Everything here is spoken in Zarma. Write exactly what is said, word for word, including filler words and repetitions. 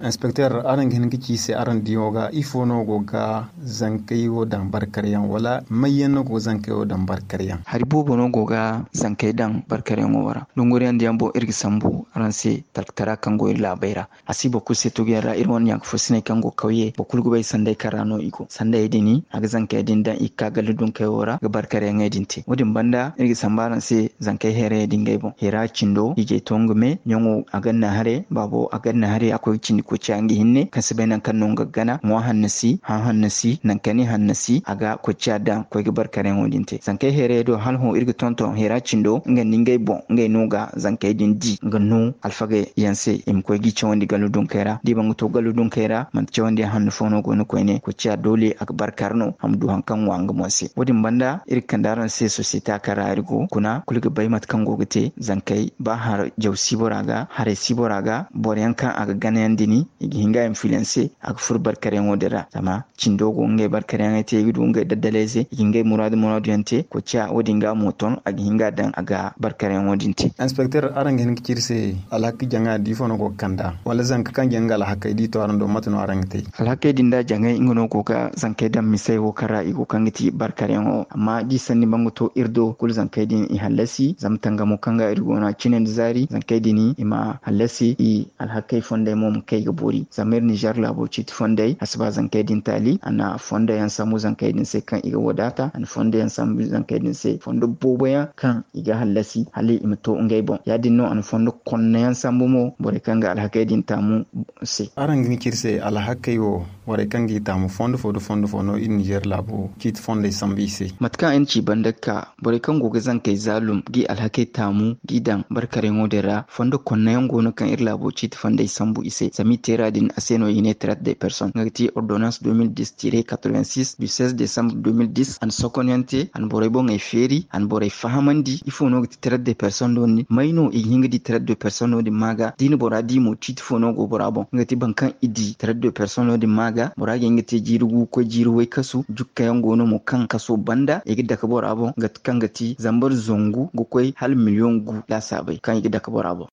Inspekteer, araŋ ga hin ga ci i se, araŋ diyaŋo ga ifo no go ga zankey wo daŋ barkaryaŋ, wala mayyaŋ no go ga zankey wo daŋ barkaryaŋ? Hari boobo no go ga zankey daŋ barkaryaŋo wo ra. Dunguriyaŋ diyaŋ boŋ, iri ga sambu araŋ se talkatara kaŋ go iri laabey ra. A si boro kulu se tuguyaŋ ra, iri wane yaŋ ka fo sinay kaŋ go kawye, boro kulu ga bay sanday kaŋ ra no i go. Sandayey din, a ga zankey din daŋ i ga ka galla dunkey wo ra ga barkaryaŋey din te. Wo-din banda, iri ga sambu araŋ se zankey heerayey din ngey boŋ. Heera cindo, hiijay to nga me, ɲaŋo a ganna haray, baabo a ganna haray, a koy ga cindi koy ciya nga hinne, kaŋ si bay nangu kaŋ no nga ga gana, ŋwa hanno si, hã hanno si, nangu kaŋ i hanno si, a ga koy ciya daŋ koy ga barkaryaŋo din te. Zankey heerayey do, hala hõ iri ga tonton heera cindo, nga nda ngey boŋ, ngey no ga zankey din di, nga no alfagey yaŋ se i ma koy g'i cawandi gallu dunkey ra. Da i ba nga to gallu dunkey ra, manti cawandiyaŋ hanno fo no go no koyne, koy ciya doole a ga barkar no, a ma du haŋ kaŋ ŋwa nga boŋ se. Wo-din banda, iri ga kande araŋ se sosiyete kaŋ ra iri go, kuna kulu ga bay mate kaŋ go ga te, zankey ba har jaw si bora ga, haray si bora ga, boro yaŋ kaŋ a ga gana yaŋ din, i ga hin ga influencer, a ga furo barkaryaŋo din ra. Zama cindo go ngey barkaryaŋey te, i ga du ngey daddalayze, i ga ngey muraadu muraadu yaŋ te, koy ciya wo-din ga mo ton, a ga hin ga daŋ a ga barkaryaŋo din te. Inspekteer, araŋ ga hin ga ci iri se alhakey jaŋa da ifo no go ga kand'a, wala zanka kaŋ jaŋ ga alhakey da i to araŋ do, mate no araŋ ga te? Alhakey din da jaŋay, nga no go ga zankey daŋ misey wo kaŋ ra i go kaŋ ga ti barkaryaŋo. Amma da i sanni ba nga to iri do, kulu zankey din i hallasi, zama tangamo kaŋ ga iri go no a cine nda zaari, zankey din i ma hallasi, i alhakey fondey mo ma kay ga boori. Zama iri Nizer laabo ciiti fondey, a si ba zankey din taali, a na fondo yaŋ sambu zankey din se kaŋ i ga wadaata, a na fondo yaŋ sambu zankey din se, fondo boobo yaŋ kaŋ i ga hallasi, hala i ma to ngey boŋ. Ya-din no a na fondo konna yaŋ sambu mo, borey kaŋ ga alhakey din taamu se. Araŋ ga hin ga ci iri se alhakey wo, borey kaŋ g'i taamu fondo fo nda fondo fo no iri Nizer laabo ciiti fondey sambu i se. Mate kaŋ ay na ci banda ga ka, borey kaŋ go ga zankey zaalum g'i alhakey taamu g'i daŋ barkaryaŋo din ra, fondo konnayaŋ go no kaŋ iri laabo ciiti fondey sambu i se. Zama i teera din, a se no i ne traite des personnes, nga ga ti ordonnance deux mille dix tiret quatre-vingt-six du seize décembre deux mille dix. A na sokonyaŋ te, a na borey boŋey feeri, a na borey fahamandi ifo no ga ti traite des personnes no din, may no i ga hin ga di traite des personnes no din ma ga. Da i na bora di mo, ciiti fo no go bora boŋ, nga ga ti boro kaŋ i di traite des personnes no din ma ga, bora ga hin ga te jiiri gu ga koy jiiri way kasu. Jukkayaŋ go no mo kaŋ kaso banda i ga dake bora boŋ, nga kaŋ ga ti zambar zangu ga koy hala miliyoŋ gu laasaabey kaŋ i ga dake bora boŋ.